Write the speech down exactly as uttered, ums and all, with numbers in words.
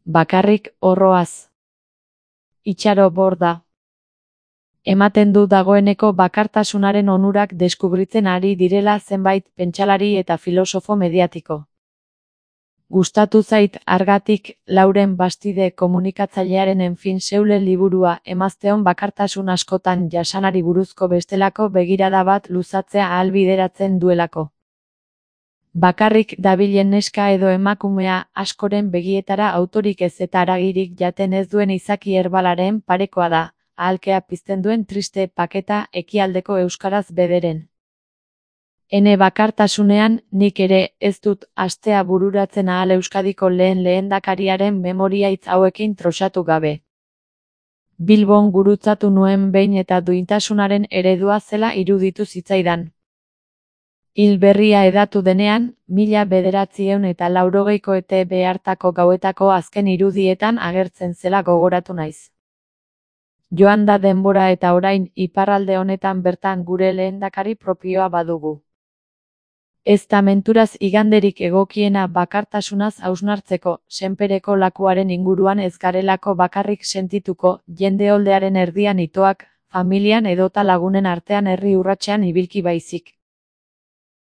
Bakarrik horroaz. Itxaro Borda. Ematen du dagoeneko bakartasunaren onurak deskubritzen ari direla zenbait pentsalari eta filosofo mediatiko. Gustatu zait Hargatik, Lauren Bastide komunikatzailearen enfin seule liburua emazteon bakartasun askotan jasanari buruzko bestelako begirada bat luzatzea ahalbideratzen duelako. Bakarrik dabilen neska edo emakumea askoren begietara autorik ez eta haragirik jaten ez duen izaki herbalaren parekoa da, ahalkea pizten duen triste paketa ekialdeko euskaraz bederen. Ene bakartasunean, nik ere ez dut astea bururatzen ahal Euskadiko lehen lehendakariaren memoriaitz hauekin trosatu gabe. Bilbon gurutzatu nuen behin eta duintasunaren eredua zela iruditu zitzaidan. Hil berria edatu denean, mila bederatziehun eta laurogeiko ete behartako gauetako azken irudietan agertzen zela gogoratu naiz. Joan da denbora eta orain iparralde honetan bertan gure lehendakari propioa badugu. Ez da menturaz iganderik egokiena bakartasunaz hausnartzeko, senpereko lakuaren inguruan ez garelako bakarrik sentituko, jende oldearen erdian itoak, familian edota lagunen artean herri urratsean ibilki baizik.